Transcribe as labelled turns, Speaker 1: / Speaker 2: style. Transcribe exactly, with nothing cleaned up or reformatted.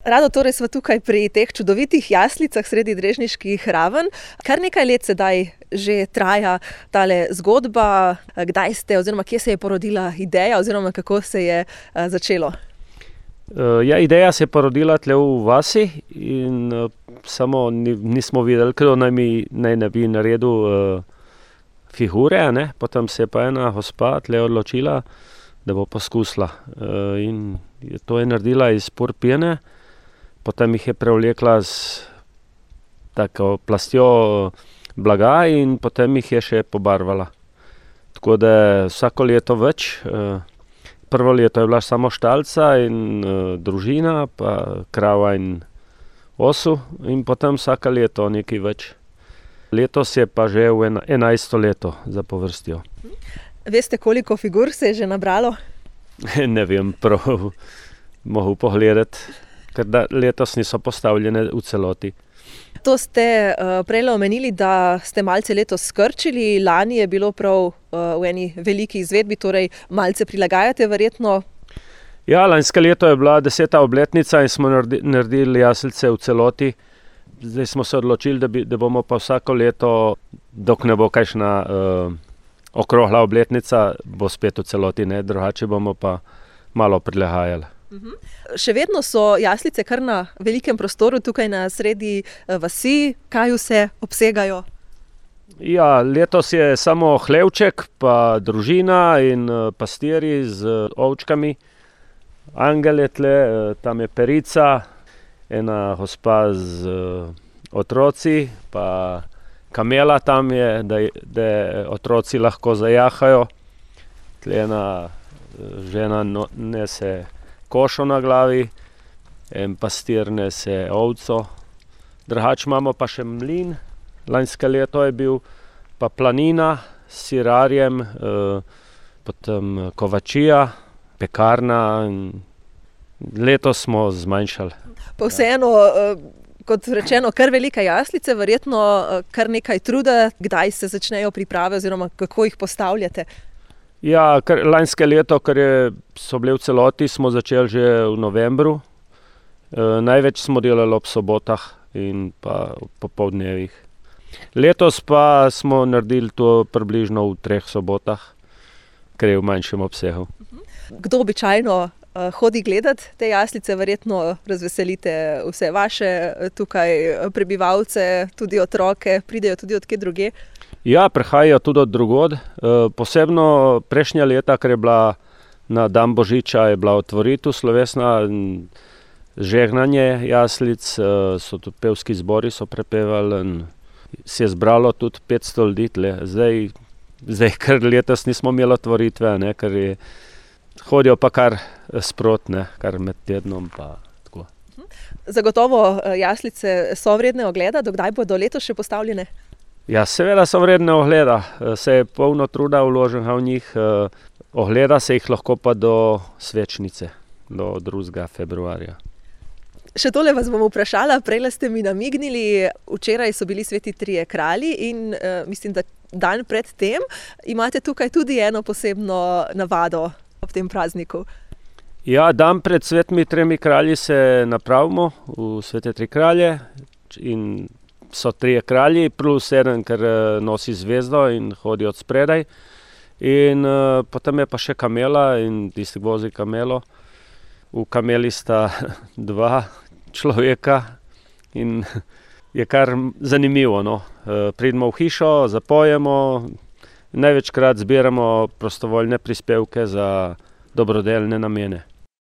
Speaker 1: Rado, torej sva tukaj pri teh čudovitih jaslicah sredi Drežniških Raven. Kar nekaj let sedaj že traja tale zgodba. Kdaj ste oziroma kje se je porodila ideja oziroma kako se je uh, začelo?
Speaker 2: Uh, ja, ideja se je porodila tle v vasi in uh, samo ni, nismo videli, kdo naj, mi, naj ne bi naredil uh, figure, ne? Potem se je pa ena gospa tle odločila, da bo poskusila. Uh, in to je naredila iz purpine. Potem jih je prevlekla z tako plastjo blaga in potem jih je še pobarvala. Tako da vsako leto več. Prvo leto je bila samo štalca in družina, pa krava in osu in potem vsako leto nekaj več. Letos je pa že v enajsto leto zapovrstjo.
Speaker 1: Veste, koliko figur se je že nabralo?
Speaker 2: Ne vem, prav mogu pogledati. Ker da letos niso postavljene v celoti.
Speaker 1: To ste uh, prej omenili, da ste malce letos skrčili, lani je bilo prav uh, v eni veliki izvedbi, torej malce prilagajate verjetno.
Speaker 2: Ja, lansko leto je bila deseta obletnica in smo naredili jaslice v celoti. Zdaj smo se odločili, da, bi, da bomo pa vsako leto, dok ne bo kakšna uh, okrogla obletnica, bo spet v celoti, ne, drugače bomo pa malo prilagajali.
Speaker 1: Uhum. Še vedno so jaslice kar na velikem prostoru tukaj na sredi vasi. Kaj vse obsegajo?
Speaker 2: Ja, letos je samo hlevček, pa družina in pastirji z ovčkami. Angel je tle, tam je perica, ena gospa z otroci, pa kamela tam je, da, da otroci lahko zajahajo. Tle ena žena no, nese košo na glavi, en pastir nese ovco. Drugač imamo pa še mlin, lansko leto je bil, pa planina s sirarjem, eh, potem kovačija, pekarna. Letos smo zmanjšali.
Speaker 1: Pa vseeno, eh, kot rečeno, kar velika jaslice, verjetno eh, kar nekaj truda. Kdaj se začnejo priprave oziroma kako jih postavljate?
Speaker 2: Ja, kar, lanske leto, ker je, so bile v celoti, smo začeli že v novembru. E, največ smo delali ob sobotah in pa v popoldnevih. Letos pa smo naredili to približno v treh sobotah, ker je v manjšem obsegu.
Speaker 1: Kdo običajno uh, hodi gledati te jaslice? Verjetno razveselite vse vaše tukaj prebivalce, tudi otroke, pridejo tudi od kje drugje?
Speaker 2: Ja, prihajajo tudi od drugod. E, posebno prejšnja leta, ker je bila na dan Božiča, je bila otvoritev slovesna, žegnanje jaslic, e, so tudi pevski zbori so prepevali in se je zbralo tudi petsto ljudi tle. Zdaj, zdaj ker letos nismo imeli otvoritve, ne, ker je, hodijo pa kar sprot, ne, kar med tednom pa tako.
Speaker 1: Zagotovo jaslice so vredne ogleda, do kdaj bodo letos še postavljene?
Speaker 2: Ja, seveda so vredne ogleda, se je polno truda vloženega v njih, ogleda se jih lahko pa do svečnice, do drugega februarja.
Speaker 1: Še tole vas bom vprašala, prej ste mi namignili, včeraj so bili sveti trije kralji in uh, mislim, da dan pred tem imate tukaj tudi eno posebno navado ob tem prazniku.
Speaker 2: Ja, dan pred svetimi tremi kralji se napravimo v svete tri kralje in so trije kralji, plus eden, ker nosi zvezdo in hodi od spredaj. In uh, potem je pa še kamela in tisti vozi kamelo. V kameli sta dva človeka in je kar zanimivo. No? Uh, pridemo v hišo, zapojemo, največkrat zbiramo prostovoljne prispevke za dobrodelne namene.